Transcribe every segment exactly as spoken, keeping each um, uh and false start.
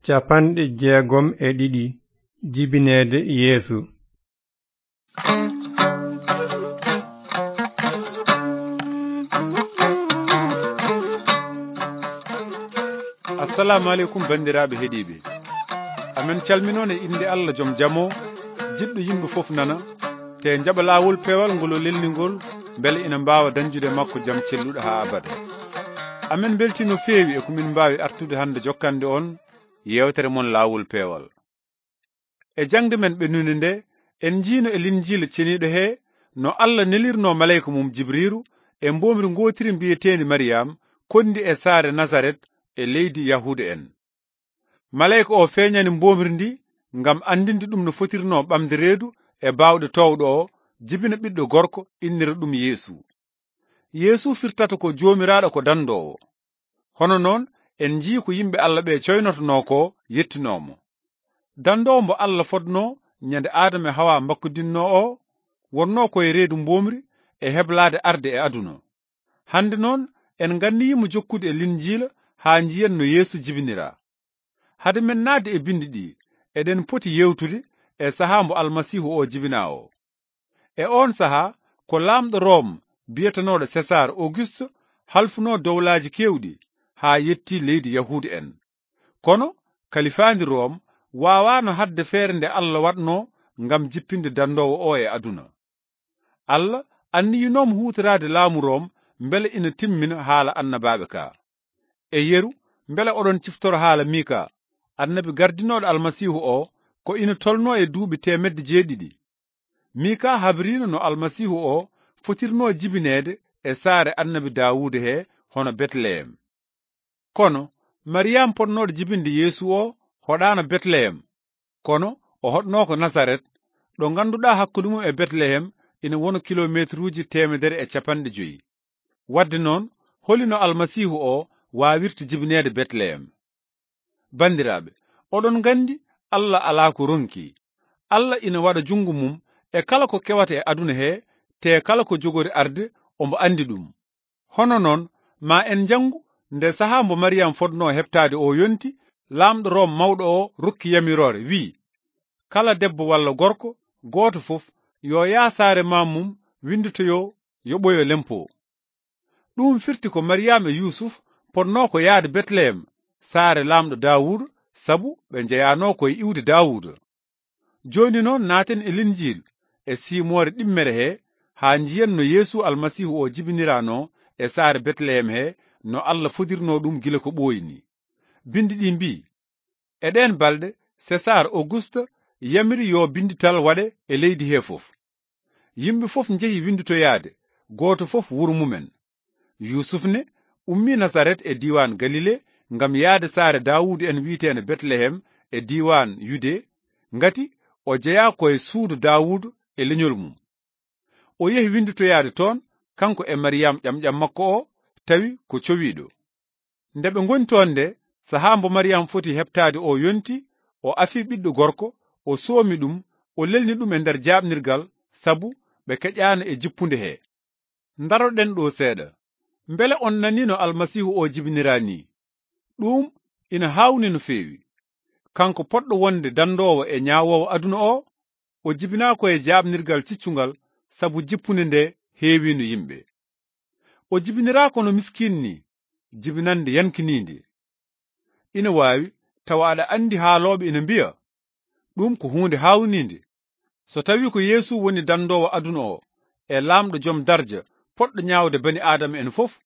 Capanɗe jeegom e ɗiɗi. Jibineede Yeesu. Assalamu aleykum, banndiraaɓe heɗiiɓe. Amen calminoon e innde Allah joom jam o, jiɗɗo yimɓe fof nana, te njaɓa laawol peewal ngol o lelni ngol, mbele ina mbaawa dañjude makko jam celluɗo haa abada. Amen mbeltii no feewi e ko min mbaawi artude hannde jokkande on yeewtere mon laawol peewal. E jaŋde men ɓennunde nde, en njiino e Linjiila ceniiɗo he no Allah nelirnoo maleyka mum Jibriiru e mboomri ngootiri mbiyeteendi Mariyam, konndi e saare Nasaret e leydi Yahuuda en. Maleyka o feeñani mboomri ndi ngam anndinde ɗum no fotirnoo ɓamde reedu e baawɗe toowɗo o, jibina ɓiɗɗo gorko, innira ɗum Yeesu. Yeesu firtata ko Joomiraaɗo ko dandoowo. Hono noon, en njii ko yimɓe Allah ɓe coynotonoo ko yettinoo mo. Dandoowo mbo Allah fodnoo ñande Aadama e Hawa mbakkudinnoo o, wonnoo ko e reedu mboomri e heblaade arde e aduna. Hannde noon, en nganniyiimo jokkude e Linjiila haa njiyen no Yeesu jibiniraa. Hade men naatde e binndi ɗi, eɗen poti yeewtude e sahaa mbo Almasiihu o jibinaa o. E oon sahaa, ko laamɗo Room biyetenooɗo Sesaar Auguste halfunoo dowlaaji keewɗi haa yettii leydi Yahuuda en. Kono kalifaandi Room waawaano haɗde feere nde Allah waɗnoo ngam jippinde dandoowo o e aduna. Allah anniyinoo mo huutoraade laamu Room mbele ina timmina haala annabaaɓe ka. E yeru, mbele oɗon ciftoro haala Mika, annabi gardinooɗo Almasiihu o, ko ina tolnoo e duuɓi teemedde jeeɗiɗi. Mika habriino no Almasiihu o fotirnoo jibineede e saare annabi Daawuda he, hono Betleyem. Kono Mariyam potnooɗo jibinde Yeesu o hoɗaano Betleyem, kono o hoɗnoo ko Nasaret, ɗo ngannduɗaa hakkunde mum e Betleyem ina wona kilomeetruuji teemedere e capanɗe joyi. Waɗde noon, holi no Almasiihu o waawirta jibineede Betleyem? Banndiraaɓe, oɗon nganndi Allah alaa ko ronki. Allah ina waɗa junngo mum e kala ko kewata e aduna he, te kala ko jogori arde, omo anndi ɗum. Hono noon, ma en njanngu nde sahaa mbo Mariyam fodnoo heɓtaade o yonti, laamɗo Room mawɗo o rokki yamiroore, wi'i, "Kala debbo walla gorko gooto fof yo yah saare maam mum, winnditoyoo, yoɓoyoo lempo." Ɗum firti ko Mariyam e Yuusuf potnoo ko yahde Betleyem, saare laamɗo Daawuda, sabu ɓe njeyanoo ko e iwde Daawuda. Jooni noon, naaten e Linjiil e siimoore ɗimmere he, haa njiyen no Yeesu Almasiihu o jibiniranoo e saare Betleyem he, no Allah fodirnoo ɗum gila ko ɓooyi ni. Binndi ɗi mbii, e ɗeen balɗe, Sesaar Auguste yamiri yo binndital waɗe e leydi he fof. Yimɓe fof njehi winnditoyaade, gooto fof wuro mumen. Yuusuf ne ummii Nasaret e diiwaan Galile ngam yahde saare Daawuudu en wiyeteende Betleyem e diiwaan Yude, ngati o jeyaa ko e suudu Daawuudu e leñol mum. O yehi winnditoyaade toon, kanko e Mariyam ƴamƴam makko o, tawi ko cowiiɗo. Nde ɓe ngoni toon nde, sahaa mbo Mariyam foti heɓtaade o yonti, o afi ɓiɗɗo gorko, o soomi ɗum, o lelni ɗum e nder jaaɓnirgal, sabu ɓe keƴaano e jippunde he. Ndaroɗen ɗo seeɗa. Mbele on nanii no Almasiihu o jibiniraa nii? Ɗum ina haawni no feewi. Kanko potɗo wonde dandoowo e ñaawoowo aduna o, o jibinaa ko e jaaɓnirgal ciccungal, sabu jippunde nde heewiino yimɓe. O jibiniraa kono miskiin ni, jibinannde yankiniinde. Ina waawi tawa aɗa anndi haalooɓe ina mbiya, "Ɗum ko huunde haawniinde." So tawii ko Yeesu woni dandoowo aduna o, e laamɗo jom darja, potɗo ñaawde bani Aadama en fof,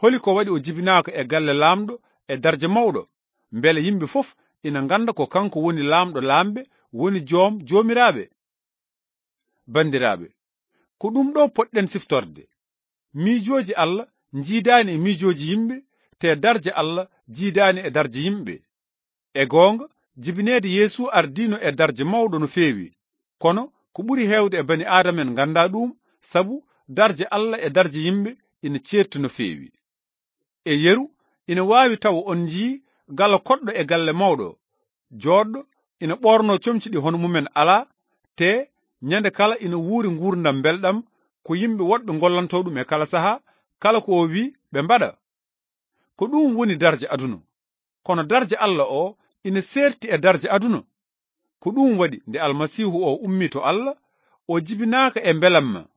holi ko waɗi o jibinaaka e galle laamɗo e darja mawɗo? Mbele yimɓe fof ina ngannda ko kanko woni laamɗo laamɓe, woni joom joomiraaɓe? Banndiraaɓe, ko ɗum ɗo potɗen siftorde. Miijooji Allah njiidaani e miijooji yimɓe, te darja Allah jiidaani e darja yimɓe. E goonga, jibineede Yeesu ardiino e darja mawɗo no feewi, kono ko ɓuri heewde e bani Aadama en nganndaa ɗum, sabu darja Allah e darja yimɓe ina ceerti no feewi. E yeru, ina waawi tawa on njii gala koɗɗo e galle mawɗo, jooɗɗo, ina ɓoornoo comci ɗi hono mumen alaa, te ñande kala ina wuuri nguurndam mbelɗam, ko yimɓe woɗɓe ngollantoo ɗum e kala sahaa, kala ko o wii ɓe mbaɗa. Ko ɗum woni darja aduna. Kono darja Allah o ina seerti e darja aduna. Ko ɗum waɗi, nde Almasiihu o ummii to Allah, o jibinaaka e mbelamma.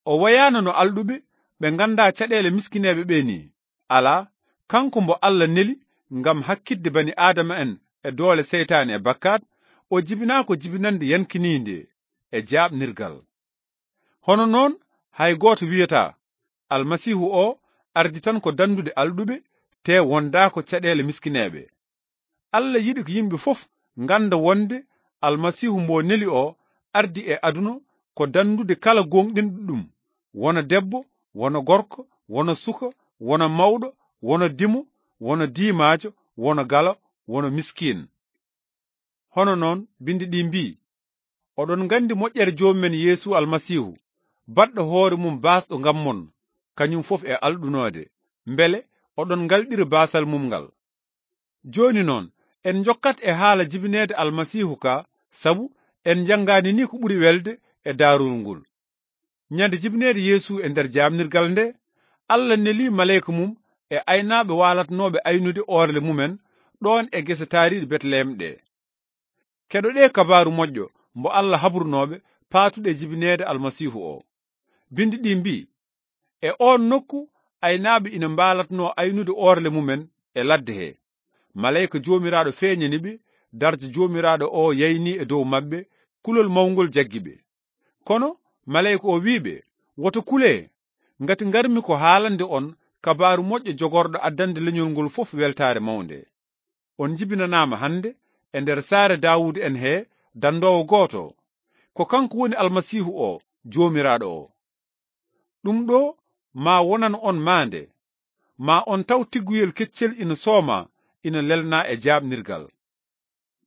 O wayaano no alɗuɓe ɓe nganndaa caɗeele miskineeɓe ɓe nii. Alaa, kanko mbo Allah neli ngam hakkitde bani Aadama en e doole seytaane e bakkaat, o jibinaa ko jibinannde yankiniinde e jaaɓnirgal. Hono noon, hay gooto wiyataa, Almasiihu o ardi tan ko danndude alɗuɓe, te wondaako caɗeele miskineeɓe. Allah yiɗi ko yimɓe fof ngannda wonde Almasiihu mbo neli o ardi e aduna ko danndude kala gooŋɗinɗo ɗum, wona debbo, wona gorko, wona suka, wona mawɗo, wona dimo, wona diimaajo, wona galo, wona miskiin. Hono noon, bindi ɗi mbii, "Oɗon nganndi moƴƴere Joomi men Yeesu Almasiihu, baɗɗo hoore mum baasɗo ngam mon, kañum fof e alɗunoode, mbele oɗon ngalɗira baasal mum ngal." Jooni noon, en njokkat e haala jibineede Almasiihu ka, sabu en njanngaani ni ko ɓuri welde e daarol ngol. Ñande jibineede Yeesu e nder jaamnirgal nde, Allah neli maleyka mum e aynaaɓe waalatnooɓe aynude oorle mumen ɗoon e gese taariiɗe Betlehem ɗe. Keɗoɗee kabaaru moƴƴo mbo Allah habrunooɓe paatuɗe jibineede Almasiihu o. Bindi ɗi mbii, "E oon nokku, aynaaɓe ina mbaalatnoo aynude oorle mumen e ladde he. Maleyka Joomiraaɗo feeñani ɓe, darja Joomiraaɗo o yayni e dow maɓɓe, kulol mawngol jaggi ɓe." Kono maleyka o wi'i ɓe, "Woto kulee, ngati ngarmi ko haalande on kabaaru moƴƴo jogorɗo addande leñol ngol fof weltaare mawnde. On njibinanaama hannde e nder saare Daawuda en he danndoowo gooto. Ko kanko woni Almasiihu o, Joomiraaɗo o. Ɗum ɗo maa wonan on maande, maa on taw tigguyel keccel ina sooma, ina lelnaa e jaaɓnirgal."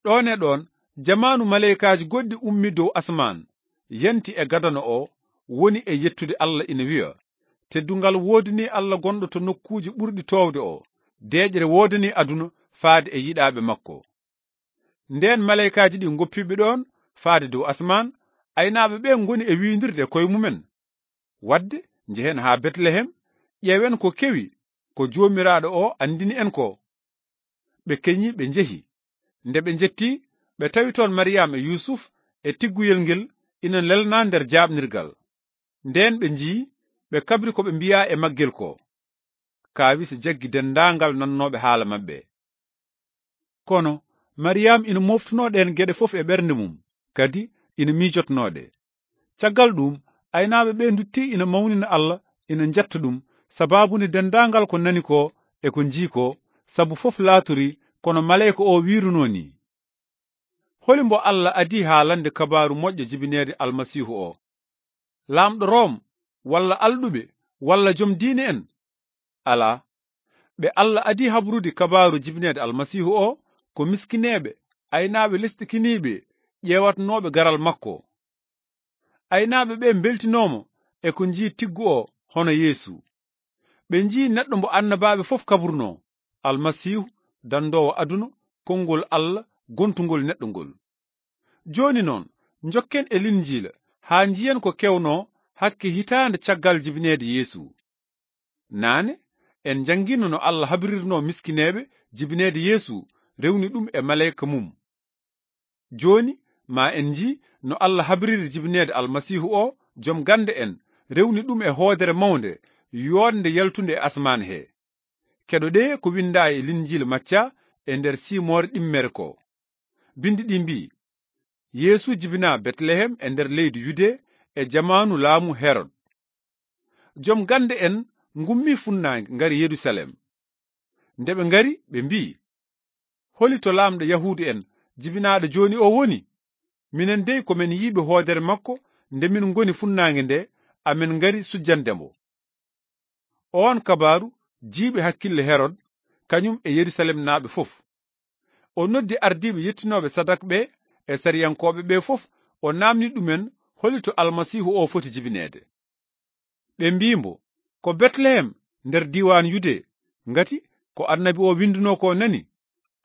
Ɗoon e ɗoon, jamaanu maleykaaji goɗɗi ummii dow asamaan, yanti e gadano o, woni e yettude Allah ina wiya, "Teddungal woodanii Allah gonɗo to nokkuuji ɓurɗi toowde o, deeƴre woodanii aduna faade e yiɗaaɓe makko." Ndeen maleykaaji ɗi ngoppiiɓe ɗoon faade dow asamaan, aynaaɓe ɓe ngoni e wiindirde e koye mumen, "Wadde njehen haa Betlehem, ƴeewen ko kewi ko Joomiraaɗo o anndini en ko." Ɓe keñi, ɓe njehi. Nde ɓe njetti, ɓe tawi toon Mariyam e Yuusuf e tigguyel ngel ina lelnaa nder jaaɓnirgal. Ndeen ɓe njiyi, ɓe kabri ko ɓe mbiyaa e maggel ko. Kaawisa jaggi denndaangal nannooɓe haala maɓɓe. Kono Mariyam ina mooftunoo ɗeen geɗe fof e ɓernde mum, kadi ina miijotnoo ɗe. Caggal ɗuum, aynaaɓe ɓe nduttii ina mawnina Allah, ina njetta ɗum, sabaabu nde denndaangal ko nani ko e ko njii ko, sabu fof laatorii kono maleyka o wiirunoo nii. Holi mbo Allah adii haalande kabaaru moƴƴo jibineede Almasiihu o? Laamɗo Room, walla alɗuɓe, walla jom diine en? Alaa. Ɓe Allah adii habrude kabaaru jibineede Almasiihu o, ko miskineeɓe, aynaaɓe lesɗikiniiɓe, ƴeewatnooɓe garal makko. Aynaaɓe ɓe mbeltinooma e ko njii tiggu o hono Yeesu. Ɓe njii neɗɗo mbo annabaaɓe fof kabrunoo, Almasiihu, danndoowo aduna, konngol Allah, gontungol neɗɗo ngol. Jooni noon, njokken e Linjiila haa njiyen ko kewnoo hakke hitaande caggal jibineede Yeesu. Naane, en njanngiino no Allah habririnoo miskineeɓe jibineede Yeesu, rewni ɗum e maleyka mum. Jooni, maa en njii no Allah habriri jibineede Almasiihu o, jom gannde en, rewni ɗum e hoodere mawnde, yooɗnde yaltunde e asmaan he. Keɗoɗee ko winndaa e Linjiila Macca e nder siimoore ɗimmere ko. Bindi ɗi mbii, "Yeesu jibinaa Betlehem e nder leydi Yude e jamaanu laamu Herod." Jom gannde en ngummii funnaange, ngari Yerusalem. Nde ɓe ngari, ɓe mbii, "Holi to laamɗo Yahuudu en jibinaaɗo jooni o woni? Minen dey ko men yiiɓe hoodere makko nde min ngoni funnaange nde, amen ngari sujjande mbo." Oon kabaaru jiiɓi hakkille Herod, kañum e Yerusalemnaaɓe fof. O noddi ardiiɓe yettinooɓe sadak ɓe e sariyankooɓe ɓe fof, o naamni ɗumen holi to Almasiihu o foti jibineede. Ɓe mbii mbo, "Ko Betlehem nder diiwaan Yude, ngati ko annabi o winndunoo ko nani,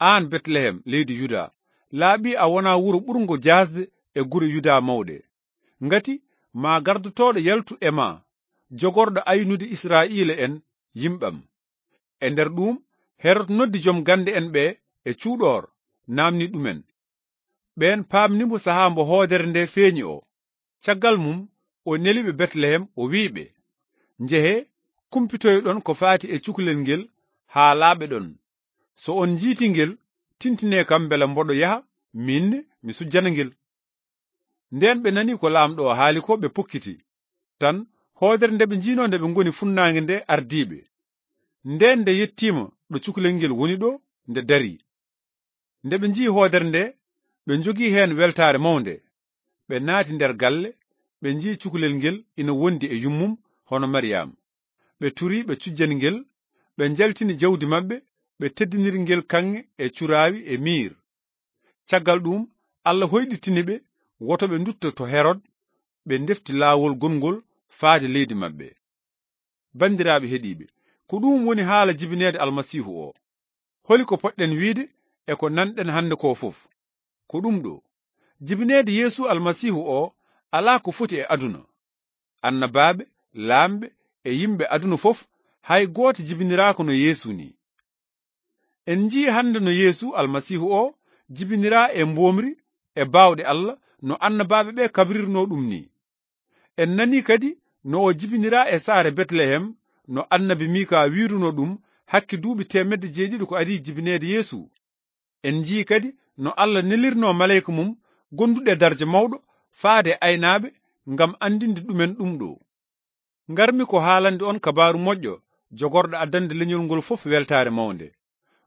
'Aan Betlehem, leydi Yuda, laaɓi a wonaa wuro ɓurngo jaasde e gure Yuda mawɗe. Ngati maa gardotooɗo yaltu e maa, jogorɗo aynude Israa'iila en, yimɓam.'" E nder ɗuum, Herod noddi jom gannde en ɓe e cuuɗoor, naamni ɗumen. Ɓeen paamni mo sahaa mbo hoodere nde feeñi o. Caggal mum, o neli ɓe Betlehem, o wi'i ɓe, "Njehee, kumpitoyɗon ko faati e cukalel ngel haa laaɓe ɗon. So on njiitii ngel, tintinee kam mbela mboɗo yaha, miin ne mi sujjana ngel." Ndeen ɓe nani ko Laamɗo o haali ko, ɓe pokkiti. Tan, hoodere nde ɓe njiinoo nde ɓe ngoni funnaange nde ardii ɓe. Ndeen nde yettiima ɗo cukalel ngel woni ɗo, nde darii. Nde ɓe njiyi hoodere nde, ɓe njogii heen weltaare mawnde. Ɓe naati nder galle, ɓe njiyi cukalel ngel ina wondi e yummum hono Mariyam. Ɓe turii ɓe cujjani ngel, ɓe njaltini jawdi maɓɓe, ɓe teddiniri ngel kaŋŋe e curaawi e miir. Caggal ɗuum, Allah hoyɗitini ɓe, woto ɓe ndutto to Herod, ɓe ndefti laawol gongol faade leydi maɓɓe. Banndiraaɓe heɗiiɓe, ko ɗuum woni haala jibineede Almasiihu o. Holi ko poɗɗen wiide e ko nanɗen hannde ko fof? Ko ɗum ɗo, jibineede Yeesu Almasiihu o alaa ko foti e aduna. Annabaaɓe, laamɓe e yimɓe aduna fof, hay gooto jibiniraaka no Yeesu ni. En njii hannde no Yeesu Almasiihu o jibiniraa e mboomri e baawɗe Allah no annabaaɓe ɓe kabrirnoo ɗum ni. En nanii kadi no o jibiniraa e saare Betlehem no annabi Miika wiirunoo ɗum hakke duuɓi teemedde jeeɗiɗi ko adii jibineede Yeesu. En njii kadi no Allah nelirnoo maleyka mum gonduɗo e darja mawɗo faade e aynaaɓe ngam anndinde ɗumen ɗum ɗo. Ngarmi ko haalande on kabaaru moƴƴo jogorɗo addande leñol ngol fof weltaare mawnde.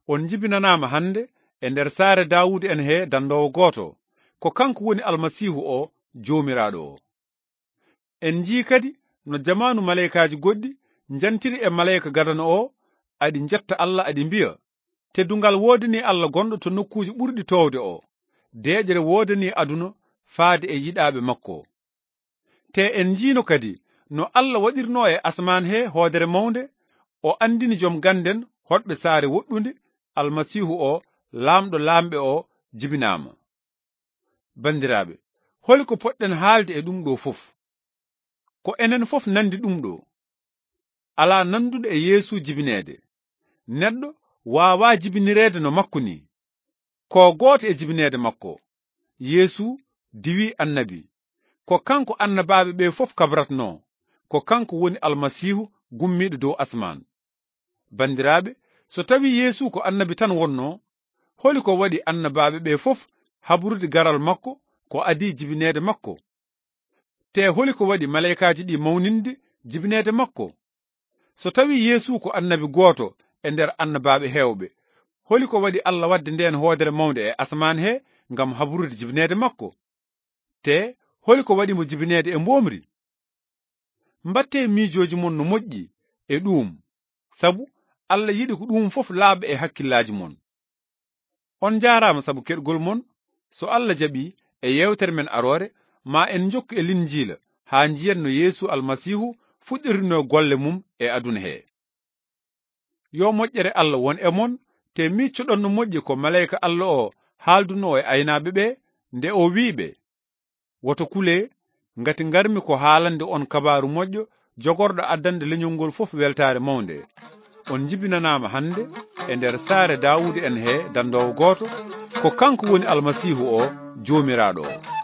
On njibinanaama hannde e nder saare Daawuda en he dandoowo gooto. Ko kanko woni Almasiihu o, Joomiraaɗo o. En njii kadi no jamaanu maleykaaji goɗɗi njantiri e maleyka gadano o, aɗi njetta Allah, aɗi mbiya, "Teddungal woodanii Allah gonɗo to nokkuuji ɓurɗi toowde o, deeƴre woodanii aduna faade e yiɗaaɓe makko." Te en njiino kadi no Allah waɗirnoo e asamaan he hoodere mawnde, o anndini joom gannden hoɗɓe saare woɗɗunde, Almasiihu o, Laamɗo laamɓe o, jibinaama. Banndiraaɓe, holi ko poɗɗen haalde e ɗum ɗo fof? Ko enen fof nanndi ɗum ɗo. Alaa nannduɗo e Yeesu jibineede. Neɗɗo waawaa jibinireede no makko ni. Ko gooto e jibineede makko. Yeesu diwi annabi. Ko kanko annabaaɓe ɓe fof kabratnoo. Ko kanko woni Almasiihu gummiiɗo dow asmaan. Banndiraaɓe, so tawii Yeesu ko annabi tan wonnoo, holi ko waɗi annabaaɓe ɓe fof haburude garal makko ko adii jibineede makko? Te holi ko waɗi maleykaaji ɗi mawninde jibineede makko? So tawii Yeesu ko annabi gooto e nder annabaaɓe heewɓe, holi ko waɗi Allah waɗde ndeen hoodere mawnde e asamaan he ngam haburude jibineede makko? Te holi ko waɗi mo jibineede e mboomri? Mbattee miijooji mon no moƴƴi e ɗuum, sabu Allah yiɗi ko ɗuum fof laaɓa e hakkillaaji mon. On njaaraama sabu keɗgol mon. So Allah jaɓii, e yeewtere men aroore, ma en njokku e Linjiila haa njiyen no Yeesu Almasiihu fuɗɗorinoo golle mum e aduna he. Yo moƴƴere Allah won e mon, te miccoɗon no moƴƴi ko maleyka Allah o haaldunoo e aynaaɓe ɓe, nde o wi'i ɓe, "Woto kulee, ngati ngarmi ko haalande on kabaaru moƴƴo jogorɗo addande leñol ngol fof weltaare mawnde. On njibinanaama hannde e nder saare Daawuda en he dandoowo gooto, ko kanko woni Almasiihu o, Joomiraaɗo o."